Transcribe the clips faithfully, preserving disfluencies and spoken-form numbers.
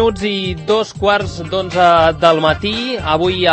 minuts i dos quarts d'onze del matí. Avui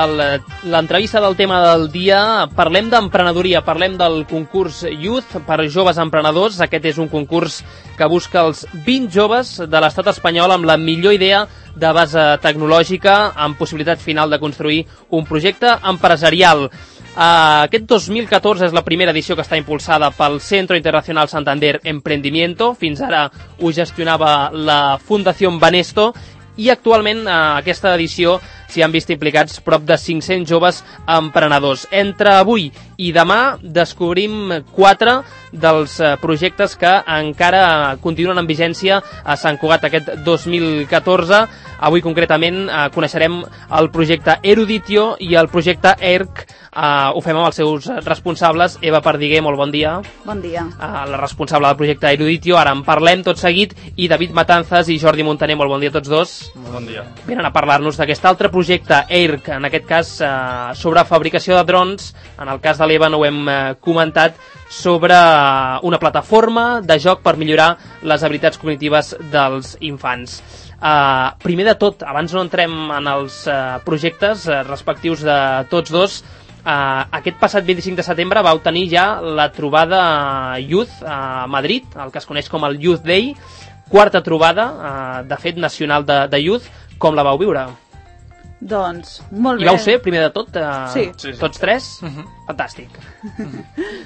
l'entrevista del tema del dia parlem d'emprenedoria, parlem del concurs Youth per joves emprenedors. Aquest és un concurs que busca els vint joves de l'estat espanyol amb la millor idea de base tecnològica, amb possibilitat final de construir un projecte empresarial. Uh, aquest dos mil catorze és la primera edició que està impulsada pel Centro Internacional Santander Emprendimiento. Fins ara ho gestionava la Fundació Banesto i actualment uh, aquesta edició s'hi han vist implicats prop de cinc-cents joves emprenedors. Entre avui i demà descobrim quatre dels uh, projectes que encara continuen en vigència a Sant Cugat aquest dos mil catorze. Avui concretament uh, coneixerem el projecte Eruditio i el projecte E R C. Uh, ho fem amb els seus responsables. Eva Perdiguer, molt bon dia. Bon dia. Uh, la responsable del projecte Eruditio, ara en parlem tot seguit, i David Matanzas i Jordi Montaner, molt bon dia a tots dos. Molt bon dia. Venen a parlar-nos d'aquest altre projecte E R C, en aquest cas uh, sobre fabricació de drons. En el cas de l'Eva no ho hem uh, comentat, sobre uh, una plataforma de joc per millorar les habilitats cognitives dels infants. Uh, primer de tot, abans no entrem en els uh, projectes uh, respectius de tots dos, uh, aquest passat vint-i-cinc de setembre vau tenir ja la trobada Youth a Madrid, el que es coneix com el Youth Day, quarta trobada, uh, de fet, nacional de, de Youth. Com la vau viure? Doncs, molt bé. I vau ser, primer de tot, uh, sí. Sí, sí. tots tres? Uh-huh. Fantàstic.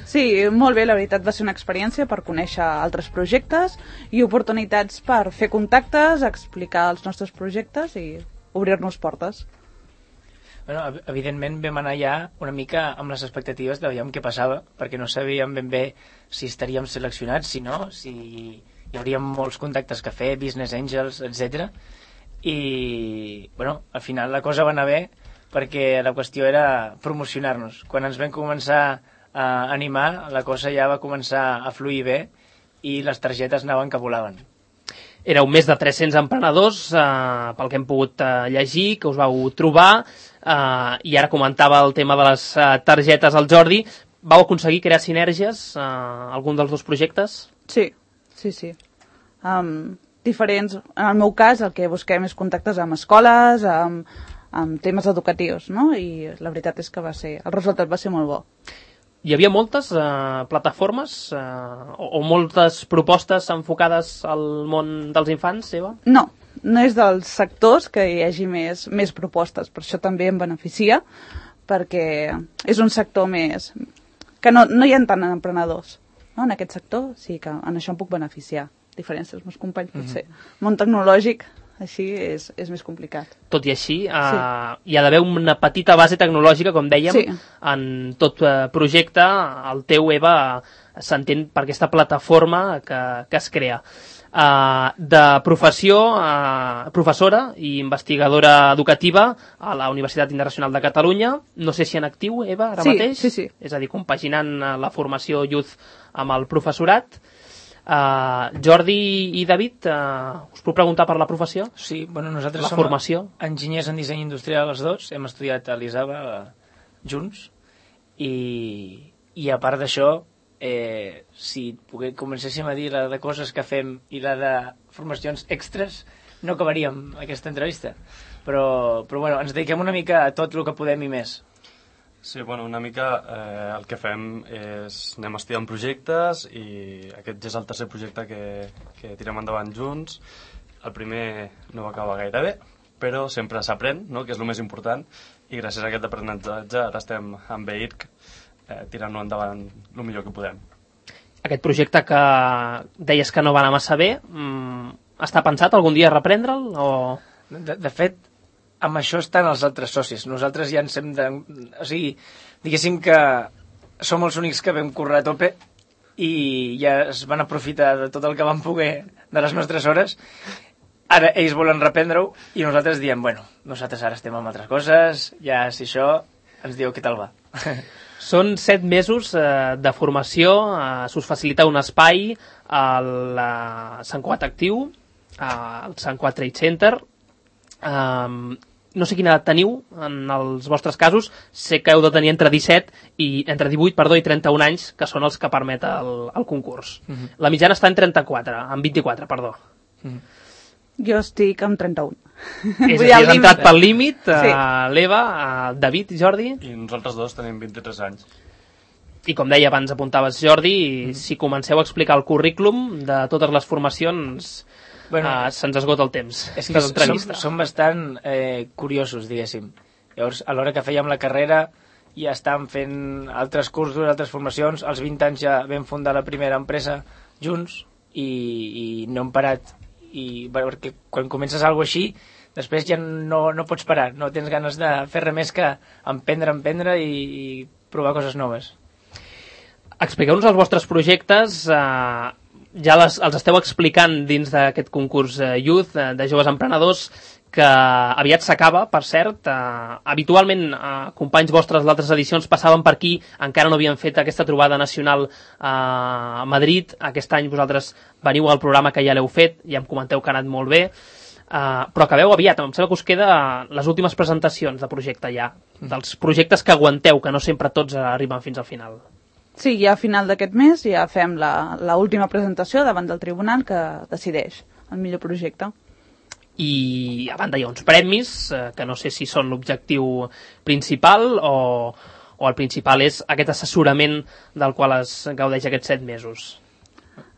Sí, molt bé, la veritat va ser una experiència per conèixer altres projectes i oportunitats per fer contactes, explicar els nostres projectes i obrir-nos portes. Bueno, evidentment vam anar ja una mica amb les expectatives de veure què passava, perquè no sabíem ben bé si estaríem seleccionats, si no, si hi hauria molts contactes que fer, business angels, etcètera. I, bueno, al final la cosa va anar bé perquè la qüestió era promocionar-nos. Quan ens vam començar a animar, la cosa ja va començar a fluir bé i les targetes anaven que volaven. Éreu més de tres-cents emprenedors, eh, pel que hem pogut eh, llegir, que us vau trobar, eh, i ara comentava el tema de les eh, targetes al Jordi. Vau aconseguir crear sinergies a eh, algun dels dos projectes? Sí, sí, sí. Um, diferents. En el meu cas, el que busquem és contactes amb escoles, amb, amb temes educatius, no? I la veritat és que va ser, el resultat va ser molt bo. Hi havia moltes eh, plataformes eh, o, o moltes propostes enfocades al món dels infants, Eva? No, no és dels sectors que hi hagi més, més propostes, per això també em beneficia, perquè és un sector més... que no, no hi ha tant emprenedors, no? En aquest sector, sí que en això em puc beneficiar. Diferència dels meus companys, potser. Mm-hmm. Món tecnològic, així, és, és més complicat. Tot i així, eh, sí. Hi ha d'haver una petita base tecnològica, com dèiem, sí. En tot eh, projecte. El teu, Eva, s'entén per aquesta plataforma que, que es crea. Uh, de professió, uh, professora i investigadora educativa a la Universitat Internacional de Catalunya. No sé si en actiu, Eva, ara sí, mateix? Sí, sí. És a dir, compaginant la formació Youth amb el professorat. Uh, Jordi i David, uh, us puc preguntar per la professió? Sí, bueno, nosaltres la som formació. Enginyers en disseny industrial els dos, hem estudiat a l'Isaba uh, junts i, i a part d'això, eh, si pogués, comencéssim a dir la de coses que fem i la de formacions extres, no acabaríem aquesta entrevista, però, però bueno, ens dediquem una mica a tot el que podem i més. Sí, bueno, una mica eh, el que fem és anem estudiant projectes i aquest ja és el tercer projecte que, que tirem endavant junts. El primer no va acabar gaire bé, però sempre s'aprèn, no?, que és el més important, i gràcies a aquest aprenentatge ara estem amb E R C eh, tirant-lo endavant el millor que podem. Aquest projecte que deies que no va anar massa bé, mm, està pensat algun dia reprendre'l? O... De, de fet, amb això estan els altres socis. Nosaltres ja ens hem de... O sigui, diguéssim que som els únics que vam currar a tope i ja es van aprofitar de tot el que van poder de les nostres hores. Ara ells volen reprendre-ho i nosaltres diem, bueno, nosaltres ara estem amb altres coses, ja si això ens diu què tal va. Són set mesos eh, de formació, eh, s'us facilita un espai al eh, Sant Cugat Actiu, eh, al Sant Cugat Trade Center. Um, no sé quina edat teniu en els vostres casos, sé que heu de tenir entre disset i entre divuit, perdó, i trenta-un anys, que són els que permet el, el concurs. Uh-huh. La mitjana està en trenta-quatre, en vint-i-quatre, perdó. Uh-huh. Jo estic amb trenta-un. És a dir, has entrat pel límit, sí. uh, l'Eva, uh, David i Jordi. I nosaltres dos tenim vint-i-tres anys. I com deia abans, apuntaves Jordi, mm. si comenceu a explicar el currículum de totes les formacions, bueno, uh, se'ns esgota el temps. És que som, som bastant eh, curiosos, diguéssim. Llavors, a l'hora que fèiem la carrera, ja estàvem fent altres cursos, altres formacions. Als vint anys ja vam fundar la primera empresa junts i, i no hem parat. I perquè quan comences alguna cosa així, després ja no, no pots parar, no tens ganes de fer res més que emprendre, emprendre i, i provar coses noves. Expliqueu-nos els vostres projectes, eh, ja les, els esteu explicant dins d'aquest concurs eh, Youth eh, de joves emprenedors, que aviat s'acaba, per cert. Eh, habitualment, eh, companys vostres d'altres edicions passaven per aquí, encara no havien fet aquesta trobada nacional eh, a Madrid. Aquest any vosaltres veniu al programa que ja l'heu fet, ja em comenteu que ha anat molt bé, eh, però acabeu aviat. Em sembla que us queda les últimes presentacions de projecte ja, dels projectes que aguanteu, que no sempre tots arriben fins al final. Sí, ja a final d'aquest mes ja fem l'última presentació davant del tribunal que decideix el millor projecte. I a banda hi ha uns premis, eh, que no sé si són l'objectiu principal o, o el principal és aquest assessorament del qual es gaudeix aquests set mesos.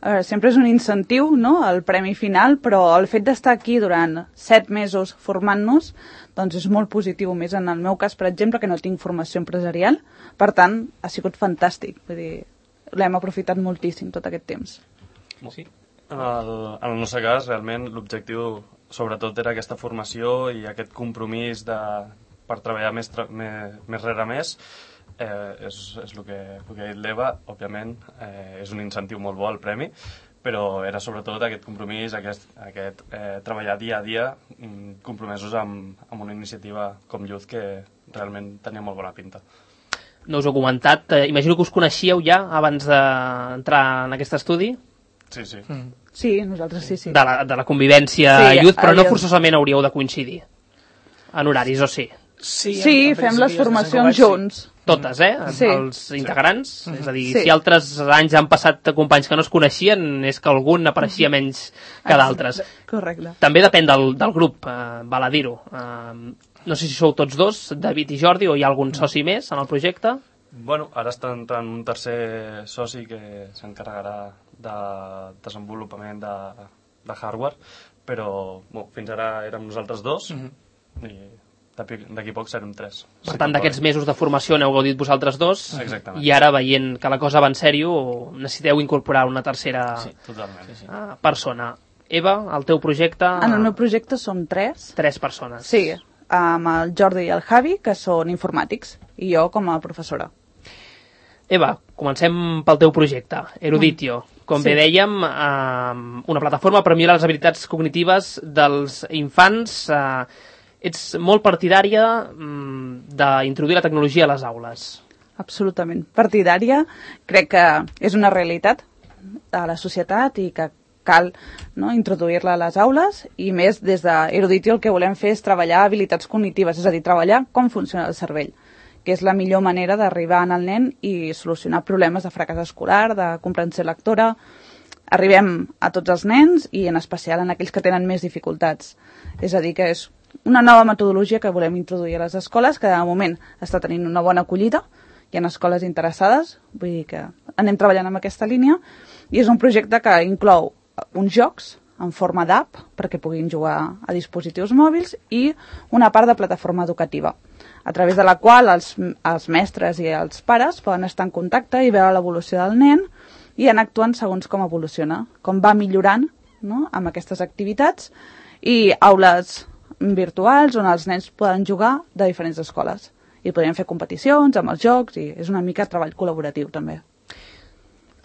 A veure, sempre és un incentiu, no?, el premi final, però el fet d'estar aquí durant set mesos formant-nos doncs és molt positiu, més en el meu cas, per exemple, que no tinc formació empresarial, per tant, ha sigut fantàstic, vull dir, l'hem aprofitat moltíssim tot aquest temps. Sí. En el, en el nostre cas, realment, l'objectiu sobretot era aquesta formació i aquest compromís de, per treballar més, tra més, més rere més. Eh, és, és el que, el que ha dit l'Eva. Òbviament, eh, és un incentiu molt bo el premi, però era sobretot aquest compromís, aquest, aquest eh, treballar dia a dia, compromesos amb, amb una iniciativa com Youth que realment tenia molt bona pinta. No us ho he comentat, eh, imagino que us coneixíeu ja abans d'entrar en aquest estudi? Sí, sí. Mm. Sí, nosaltres sí, sí. De la, de la convivència sí, Youth, però no forçosament hauríeu de coincidir en horaris, o sí? Sí, sí fem les formacions junts. Totes, eh? Sí. Els integrants. Sí. És a dir, sí. si altres anys han passat companys que no es coneixien, és que algun apareixia menys que d'altres. Correcte. També depèn del, del grup, eh, val a dir-ho. Eh, no sé si sou tots dos, David i Jordi, o hi ha algun soci més en el projecte? Bueno, ara està entrant un tercer soci que s'encarregarà de desenvolupament de, de hardware, però bueno, fins ara érem nosaltres dos mm-hmm. i d'aquí poc serem tres. Per tant, d'aquests mesos de formació n'heu gaudit vosaltres dos. Exactament. I ara, veient que la cosa va en sèrio, necessiteu incorporar una tercera sí, totalment. Sí, sí. persona. Eva, el teu projecte... En el meu projecte som tres. Tres persones. Sí, amb el Jordi i el Javi, que són informàtics, i jo com a professora. Eva, comencem pel teu projecte, Eruditio. Com sí. bé dèiem, eh, una plataforma per millorar les habilitats cognitives dels infants. Eh, ets molt partidària mm, d'introduir la tecnologia a les aules. Absolutament. Partidària. Crec que és una realitat a la societat i que cal no, introduir-la a les aules, i més des d'Eruditio el que volem fer és treballar habilitats cognitives, és a dir, treballar com funciona el cervell, que és la millor manera d'arribar en el nen i solucionar problemes de fracàs escolar, de comprensió lectora. Arribem a tots els nens i en especial en aquells que tenen més dificultats. És a dir, que és una nova metodologia que volem introduir a les escoles, que de moment està tenint una bona acollida. Hi ha escoles interessades, vull dir que anem treballant amb aquesta línia, i és un projecte que inclou uns jocs en forma d'app perquè puguin jugar a dispositius mòbils i una part de plataforma educativa, a través de la qual els, els mestres i els pares poden estar en contacte i veure l'evolució del nen i anar actuant segons com evoluciona, com va millorant no, amb aquestes activitats, i aules virtuals on els nens poden jugar de diferents escoles i podrien fer competicions amb els jocs, i és una mica treball col·laboratiu també.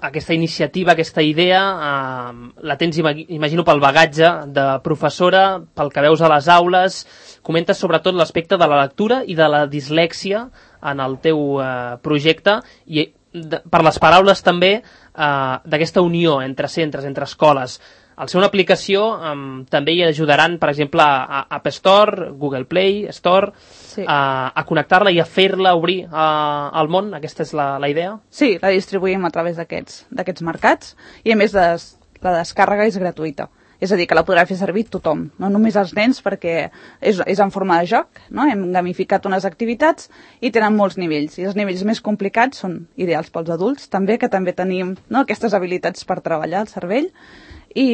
Aquesta iniciativa, aquesta idea, eh, la tens, imagino, pel bagatge de professora, pel que veus a les aules. Comentes sobretot l'aspecte de la lectura i de la dislèxia en el teu eh, projecte, i de, per les paraules també eh, d'aquesta unió entre centres, entre escoles. Al ser una aplicació eh, també hi ajudaran, per exemple, a App Store, Google Play Store, sí. a, a connectar-la i a fer-la obrir a, al món. Aquesta és la, la idea? Sí, la distribuïm a través d'aquests d'aquests mercats, i a més des, la descàrrega és gratuïta. És a dir, que la podrà fer servir tothom, no només els nens, perquè és, és en forma de joc, no? Hem gamificat unes activitats i tenen molts nivells. I els nivells més complicats són ideals pels adults, també, que també tenim, no, aquestes habilitats per treballar el cervell, i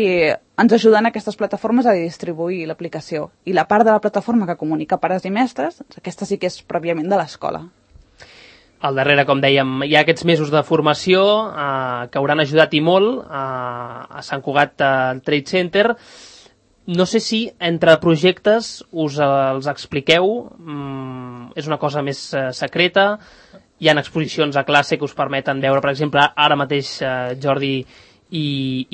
ens ajuden aquestes plataformes a distribuir l'aplicació. I la part de la plataforma que comunica pares i mestres, aquesta sí que és pròpiament de l'escola. Al darrere, com dèiem, hi ha aquests mesos de formació eh, que hauran ajudat i molt eh, a Sant Cugat eh, Trade Center. No sé si entre projectes us eh, els expliqueu, mm, és una cosa més eh, secreta, hi ha exposicions a classe que us permeten veure, per exemple, ara mateix eh, Jordi i,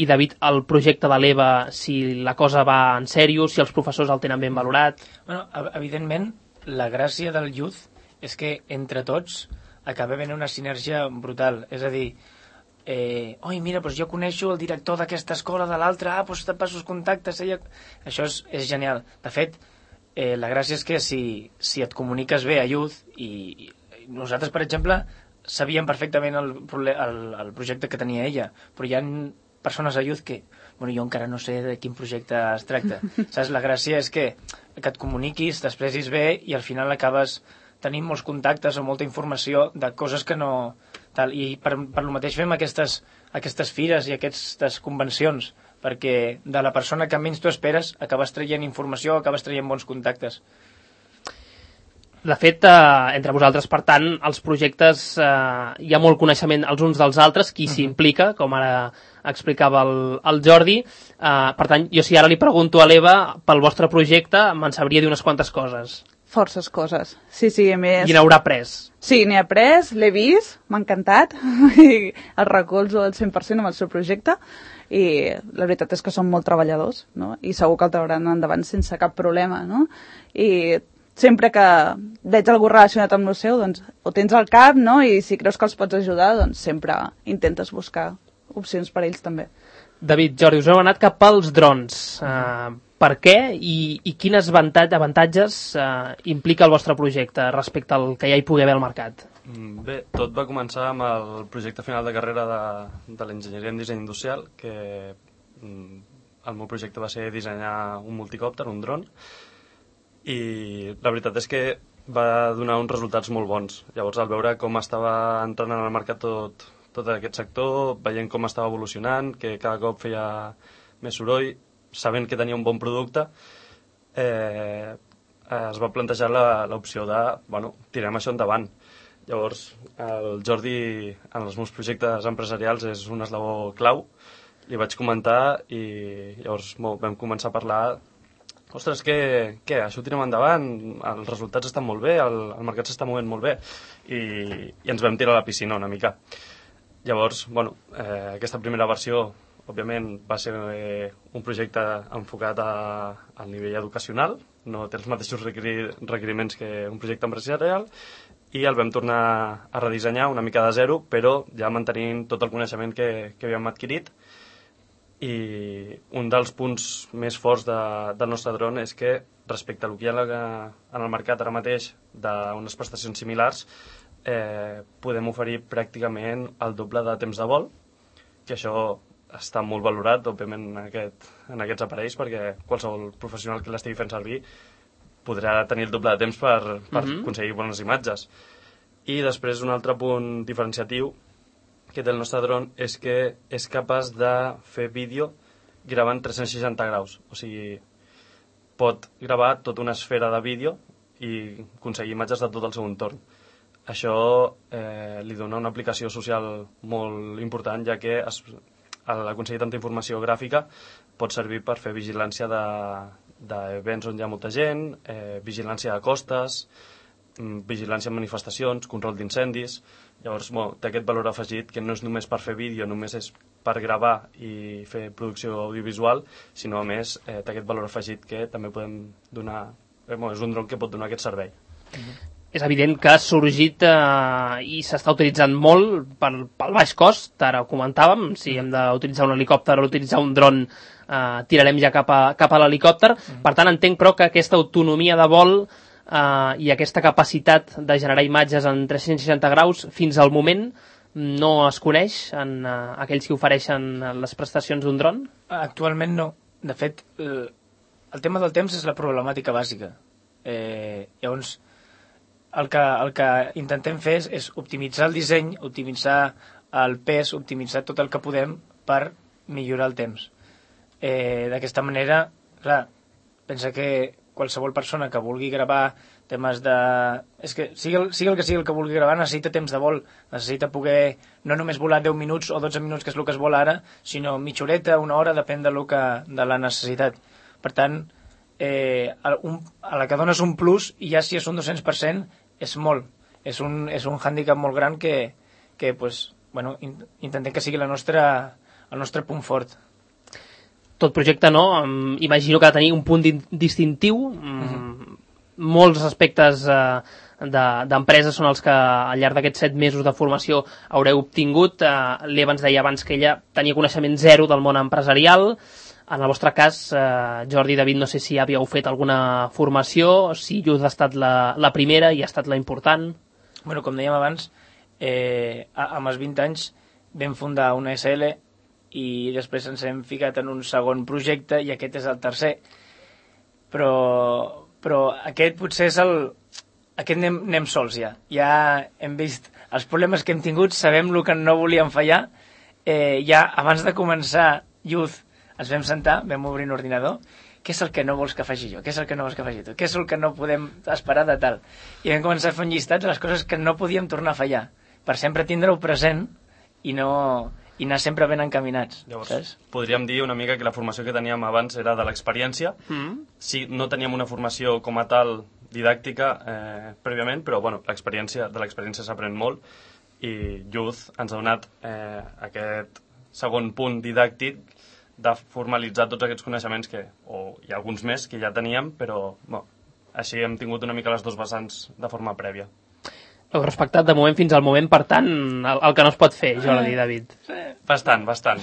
i David, el projecte de l'Eva, si la cosa va en sèrio, si els professors el tenen ben valorat. Bueno, evidentment, la gràcia del Youth és que entre tots acaba venint una sinergia brutal. És a dir, eh, oi, mira, doncs jo coneixo el director d'aquesta escola, de l'altra, ah, doncs te passo els contactes. Ella... Això és, és genial. De fet, eh, la gràcia és que si, si et comuniques bé a Youth, i, i nosaltres, per exemple, sabíem perfectament el, el, el projecte que tenia ella, però hi ha persones a Youth que, bueno, jo encara no sé de quin projecte es tracta. Saps? La gràcia és que, que et comuniquis, t'expressis bé i al final acabes tenint molts contactes o molta informació de coses que no... Tal. I per, per lo mateix fem aquestes, aquestes fires i aquestes convencions, perquè de la persona que menys tu esperes acabes traient informació, acabes traient bons contactes. De fet, eh, entre vosaltres, per tant, els projectes, eh, hi ha molt coneixement els uns dels altres, qui s'hi implica, com ara explicava el, el Jordi. Eh, per tant, jo si ara li pregunto a l'Eva pel vostre projecte, me'n sabria dir unes quantes coses. Forces coses. Sí, sí, a més... I n'haurà pres. Sí, n'he après, l'he vist, m'ha encantat, i el recolzo al cent per cent amb el seu projecte, i la veritat és que són molt treballadors, no? I segur que el trauraran endavant sense cap problema, no? I sempre que veig algú relacionat amb el seu, doncs ho tens al cap, no? I si creus que els pots ajudar, doncs sempre intentes buscar opcions per a ells també. David, Jordi, us heu anat cap als drons. Uh, per què i, i quines avantatges uh, implica el vostre projecte respecte al que ja hi pugui haver al mercat? Bé, tot va començar amb el projecte final de carrera de, de l'enginyeria en disseny industrial, que el meu projecte va ser dissenyar un multicòpter, un dron, i la veritat és que va donar uns resultats molt bons. Llavors, al veure com estava entrant en el mercat tot, tot aquest sector, veient com estava evolucionant, que cada cop feia més soroll, sabent que tenia un bon producte, eh, es va plantejar l'opció de, bueno, tirem això endavant. Llavors, el Jordi, en els meus projectes empresarials, és un eslabó clau. Li vaig comentar i llavors vam començar a parlar. Ostres, què, què? Això ho tirem endavant, els resultats estan molt bé, el, el mercat s'està movent molt bé, i, i ens vam tirar a la piscina una mica. Llavors, bueno, eh, aquesta primera versió, òbviament, va ser eh, un projecte enfocat a, al nivell educacional, no té els mateixos requerir, requeriments que un projecte empresarial, i el vam tornar a redissenyar una mica de zero, però ja mantenint tot el coneixement que, que havíem adquirit. I un dels punts més forts de, del nostre dron és que respecte a el que hi ha en el mercat ara mateix d'unes prestacions similars, eh, podem oferir pràcticament el doble de temps de vol, que això està molt valorat, òbviament, en, aquest, en aquests aparells, perquè qualsevol professional que l'estigui fent servir podrà tenir el doble de temps per, per mm-hmm. aconseguir bones imatges. I després un altre punt diferenciatiu que té el nostre dron és que és capaç de fer vídeo gravant tres-cents seixanta graus. O sigui, pot gravar tota una esfera de vídeo i aconseguir imatges de tot el seu entorn. Això eh, li dona una aplicació social molt important, ja que es, al aconseguir tanta informació gràfica pot servir per fer vigilància d'events on hi ha molta gent, eh, vigilància de costes, vigilància en manifestacions, control d'incendis. Llavors, bueno, té aquest valor afegit que no és només per fer vídeo, només és per gravar i fer producció audiovisual, sinó a més eh, té aquest valor afegit que també podem donar, eh, bueno, és un dron que pot donar aquest servei. Mm-hmm. És evident que ha sorgit eh, i s'està utilitzant molt per, pel baix cost, ara ho comentàvem, si hem d'utilitzar un helicòpter o utilitzar un dron, eh, tirarem ja cap a, cap a l'helicòpter. Mm-hmm. Per tant, entenc però que aquesta autonomia de vol Uh, i aquesta capacitat de generar imatges en tres-cents seixanta graus fins al moment no es coneix en uh, aquells que ofereixen les prestacions d'un dron? Actualment no. de fet, el, el tema del temps és la problemàtica bàsica. Eh, llavors, el que, el que intentem fer és, és optimitzar el disseny, optimitzar el pes, optimitzar tot el que podem per millorar el temps. Eh, D'aquesta manera, clar, pensa que qualsevol persona que vulgui gravar temes de... És que sigui el, sigui el que sigui el que vulgui gravar necessita temps de vol, necessita poder no només volar deu minuts o dotze minuts, que és el que es vol ara, sinó mitja horeta, una hora, depèn de, lo que, de la necessitat. Per tant, eh, a, un, a la que dones un plus, i ja si és un dos-cents per cent, és molt. És un, és un hàndicap molt gran que, que pues, bueno, in, intentem que sigui la nostra, el nostre punt fort. Tot projecte, no? Um, imagino que ha de tenir un punt distintiu. Um, uh-huh. Molts aspectes uh, d'empreses de, són els que al llarg d'aquests set mesos de formació haureu obtingut. Uh, L'Eva ens deia abans que ella tenia coneixement zero del món empresarial. En el vostre cas, uh, Jordi i David, no sé si havíeu fet alguna formació, si Youth ha estat la, la primera i ha estat la important. Bueno, com dèiem abans, eh, amb els vint anys vam fundar una S L i després ens hem ficat en un segon projecte i aquest és el tercer. Però, però aquest potser és el... Aquest anem, anem sols ja. Ja hem vist els problemes que hem tingut, sabem el que no volíem fallar. Eh, ja abans de començar Youth ens vam sentar, vam obrir un ordinador. Què és el que no vols que faci jo? Què és el que no vols que faci tu? Què és el que no podem esperar de tal? I vam començar a fer un llistat de les coses que no podíem tornar a fallar, per sempre tindre-ho present i no... i anar sempre ben encaminats. Llavors, saps? podríem dir una mica que la formació que teníem abans era de l'experiència. Mm. Sí, no teníem una formació com a tal didàctica eh, prèviament, però bueno, l'experiència de l'experiència s'aprèn molt i Youth ens ha donat eh, aquest segon punt didàctic de formalitzar tots aquests coneixements que, o hi ha alguns més que ja teníem, però bueno, així hem tingut una mica les dues vessants de forma prèvia. Heu respectat de moment fins al moment, per tant, el, el que no es pot fer, Jordi i David. Bastant, bastant.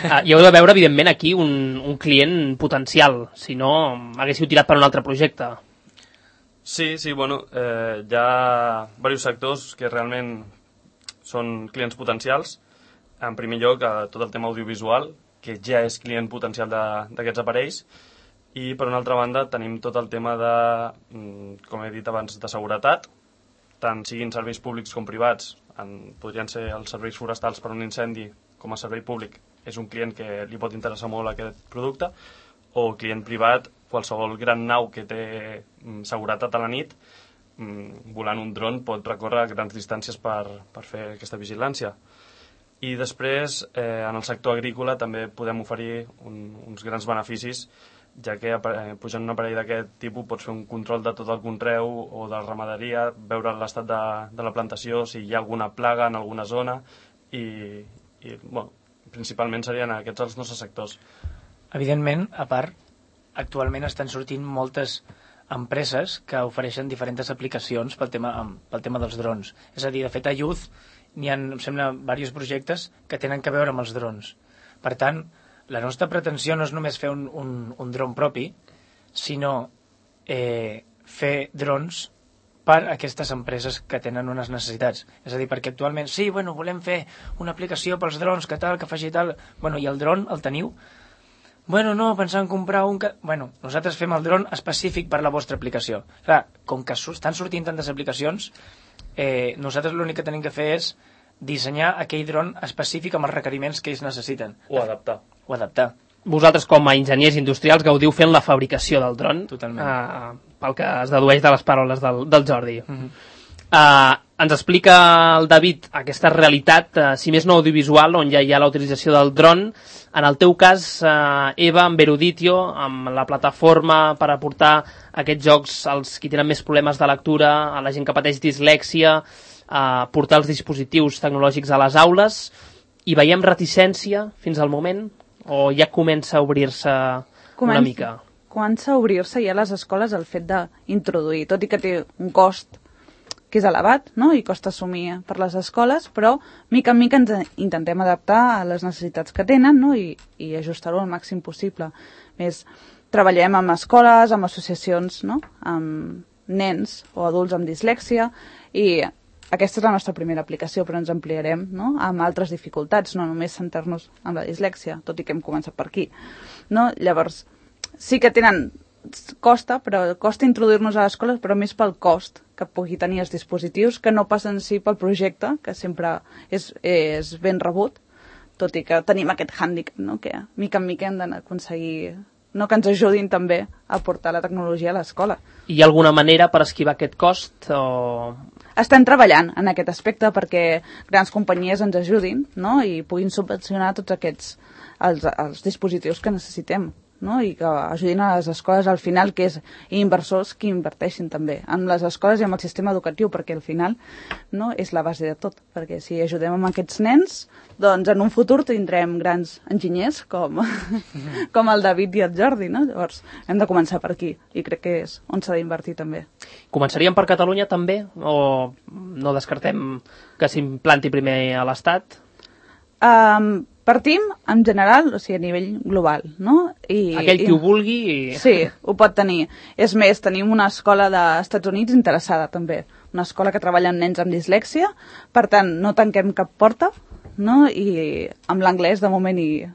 Ah, hi heu de veure, evidentment, aquí un, un client potencial, si no haguéssiu tirat per un altre projecte. Sí, sí, bueno, eh, hi ha diversos sectors que realment són clients potencials. En primer lloc, eh, tot el tema audiovisual, que ja és client potencial d'aquests aparells, i per una altra banda tenim tot el tema de, com he dit abans, de seguretat, tant siguin serveis públics com privats, en, podrien ser els serveis forestals per un incendi com a servei públic, és un client que li pot interessar molt aquest producte, o client privat, qualsevol gran nau que té mm, seguretat a la nit, mm, volant un dron pot recórrer grans distàncies per, per fer aquesta vigilància. I després, eh, en el sector agrícola també podem oferir un, uns grans beneficis, ja que eh, pujant un aparell d'aquest tipus pots fer un control de tot el conreu o de la ramaderia, veure l'estat de, de la plantació, si hi ha alguna plaga en alguna zona i, i bueno, principalment serien aquests els nostres sectors. Evidentment, a part, actualment estan sortint moltes empreses que ofereixen diferents aplicacions pel tema, pel tema dels drons. És a dir, de fet, a Youth n'hi ha, em sembla, diversos projectes que tenen que veure amb els drons. Per tant, la nostra pretensió no és només fer un, un, un dron propi, sinó eh, fer drons per a aquestes empreses que tenen unes necessitats. És a dir, perquè actualment, sí, bueno, volem fer una aplicació pels drons, que tal, que faci tal... Bueno, i el dron el teniu? Bueno, no, pensant en comprar un... Que... Bueno, nosaltres fem el dron específic per la vostra aplicació. Clar, com que estan sortint tantes aplicacions, eh, nosaltres l'únic que tenim que fer és dissenyar aquell dron específic amb els requeriments que ells necessiten. O adaptar. O adaptar. Vosaltres, com a enginyers industrials, gaudiu fent la fabricació del dron. Totalment. Uh, pel que es dedueix de les paraules del, del Jordi. Mm-hmm. uh, ens explica el David aquesta realitat, uh, si més no audiovisual, on ja hi ha la utilització del dron. En el teu cas, uh, Eva, amb Eruditio, amb la plataforma per aportar aquests jocs als qui tenen més problemes de lectura, a la gent que pateix dislèxia, a portar els dispositius tecnològics a les aules, i veiem reticència fins al moment o ja comença a obrir-se Comença, una mica? Comença a obrir-se ja a les escoles el fet d'introduir, tot i que té un cost que és elevat, no? I costa assumir per les escoles, però mica en mica ens intentem adaptar a les necessitats que tenen, no? I, i ajustar-ho al màxim possible. Més, treballem amb escoles, amb associacions, no? Amb nens o adults amb dislèxia, i aquesta és la nostra primera aplicació, però ens ampliarem, no?, amb altres dificultats, no només centrar-nos en la dislèxia, tot i que hem començat per aquí. No? Llavors, sí que tenen... costa, però costa introduir-nos a l'escola, però més pel cost que pugui tenir els dispositius, que no passen sí pel projecte, que sempre és, és ben rebut, tot i que tenim aquest hàndicap, no?, que mica en mica hem d'aconseguir, no?, que ens ajudin també a portar la tecnologia a l'escola. Hi ha alguna manera per esquivar aquest cost? O... Estem treballant en aquest aspecte perquè grans companyies ens ajudin, no?, i puguin subvencionar tots aquests els, els dispositius que necessitem, no?, i que ajudin a les escoles al final, que és inversors que inverteixin també en les escoles i en el sistema educatiu, perquè al final, no?, és la base de tot, perquè si ajudem amb aquests nens, doncs en un futur tindrem grans enginyers com, com el David i el Jordi, no? Llavors hem de començar per aquí i crec que és on s'ha d'invertir també. Començaríem per Catalunya també o no descartem que s'implanti primer a l'Estat? Um, Partim en general, o sigui, a nivell global, no? I, Aquell qui i, ho vulgui... I... Sí, ho pot tenir. És més, tenim una escola dels Estats Units interessada també, una escola que treballa amb nens amb dislèxia, per tant, no tanquem cap porta, no? I amb l'anglès, de moment, i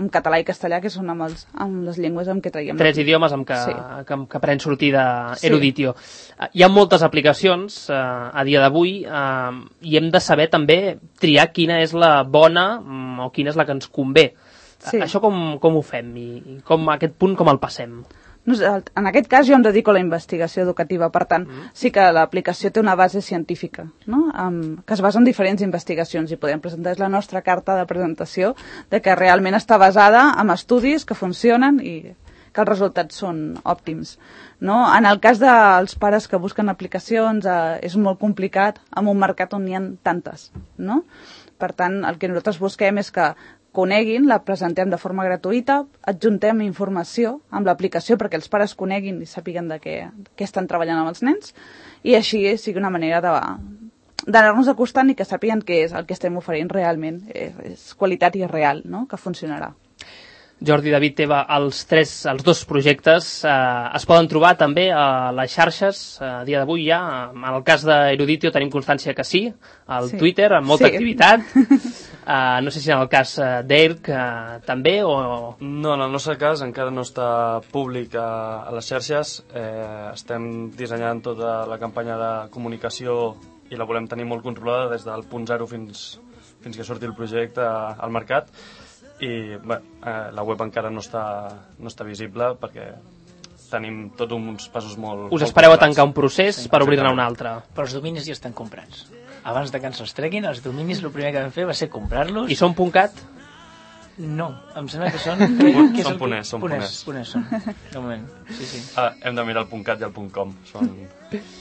en català i castellà, que són amb, els, amb les llengües amb què traiem. Tres idiomes amb què, sí. que, que pren sortida Eruditio. Sí. Hi ha moltes aplicacions eh, a dia d'avui eh, i hem de saber també triar quina és la bona o quina és la que ens convé. Sí. Això com, com ho fem i, i com, a aquest punt com el passem? En aquest cas jo em dedico a la investigació educativa, per tant, mm. sí que l'aplicació té una base científica, no? um, que es basa en diferents investigacions i podem presentar la nostra carta de presentació de que realment està basada en estudis que funcionen i que els resultats són òptims. No? En el cas dels pares que busquen aplicacions eh, és molt complicat amb un mercat on n'hi ha tantes. No? Per tant, el que nosaltres busquem és que coneguin, la presentem de forma gratuïta, adjuntem informació amb l'aplicació perquè els pares coneguin i sàpiguen de què, què estan treballant amb els nens i així sigui una manera de d'anar-nos acostant i que sàpiguen què és el que estem oferint realment. És, és qualitat i és real, no? Que funcionarà. Jordi, David, Teva, els, tres, els dos projectes eh, es poden trobar també a les xarxes eh, a dia d'avui ja. En el cas d'Eruditio tenim constància que sí, al sí. Twitter, amb molta sí. activitat. Uh, no sé si en el cas uh, d'Eirc uh, també o... No, en el nostre cas encara no està públic a, a les xarxes. Eh, estem dissenyant tota la campanya de comunicació i la volem tenir molt controlada des del punt zero fins, fins que surti el projecte al mercat. I bé, eh, la web encara no està, no està visible perquè tenim tots uns passos molt... Us espereu a tancar un procés sí, per obrir-ne un altre. Però els dominis ja estan comprats. Abans de que ens els treguin, els dominis el primer que vam fer va ser comprar-los. I són .cat? No, em sembla que són... que són puners, són puners. Puners són, de moment, sí, sí. Ah, hem de mirar el .cat i el .com, són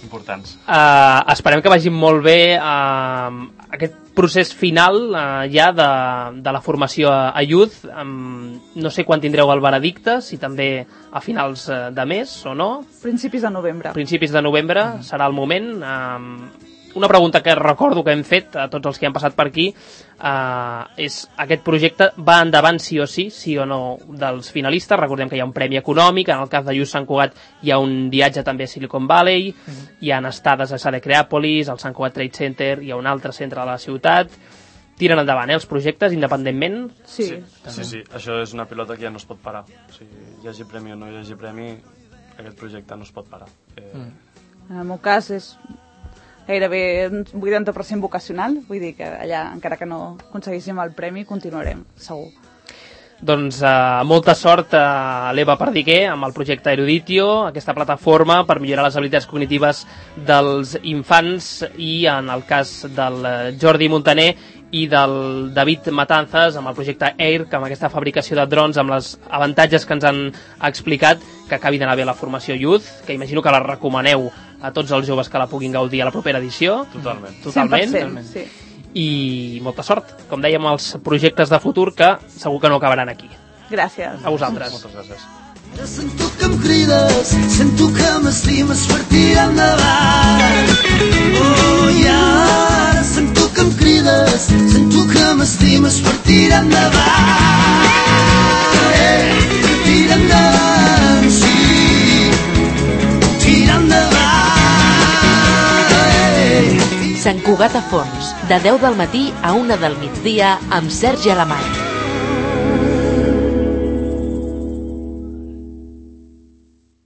importants. Uh, esperem que vagi molt bé uh, aquest procés final uh, ja de, de la formació a, a Youth. Um, no sé quan tindreu el veredicte, si també a finals uh, de mes o no. Principis de novembre. Principis de novembre mm. serà el moment. Um, Una pregunta que recordo que hem fet a tots els que han passat per aquí uh, és aquest projecte va endavant sí o sí, sí o no dels finalistes. Recordem que hi ha un premi econòmic, en el cas de Youth Sant Cugat hi ha un viatge també a Silicon Valley, mm-hmm. hi ha estades a Sade Creàpolis, al Sant Cugat Trade Center, hi ha un altre centre de la ciutat. Tiren endavant eh, els projectes independentment? Sí. Sí, sí, sí, això és una pilota que ja no es pot parar. O sigui, hi hagi premi o no hi hagi premi, aquest projecte no es pot parar. Eh... Mm. En el meu cas és gairebé un vuitanta per cent vocacional, vull dir que allà, encara que no aconseguíssim el premi, continuarem, segur. Doncs uh, molta sort a l'Eva Perdiguer amb el projecte Eruditio, aquesta plataforma per millorar les habilitats cognitives dels infants, i en el cas del Jordi Montaner i del David Matanzas amb el projecte Eirc, amb aquesta fabricació de drons, amb els avantatges que ens han explicat, que acabi d'anar bé la formació Youth, que imagino que la recomaneu a tots els joves que la puguin gaudir a la propera edició. Totalment. Totalment. cent per cent, sí. I molta sort, com dèiem, els projectes de futur que segur que no acabaran aquí. Gràcies. A vosaltres. Moltes gràcies. Ara sento que em crides, sento que m'estimes per tirar endavant. Oh, i ara sento que em crides, sento que m'estimes per tirar endavant. Eh, tira endavant, sí, tira endavant. Eh, Sant Cugat a Fons, de deu del matí a una del migdia amb Sergi Alemany.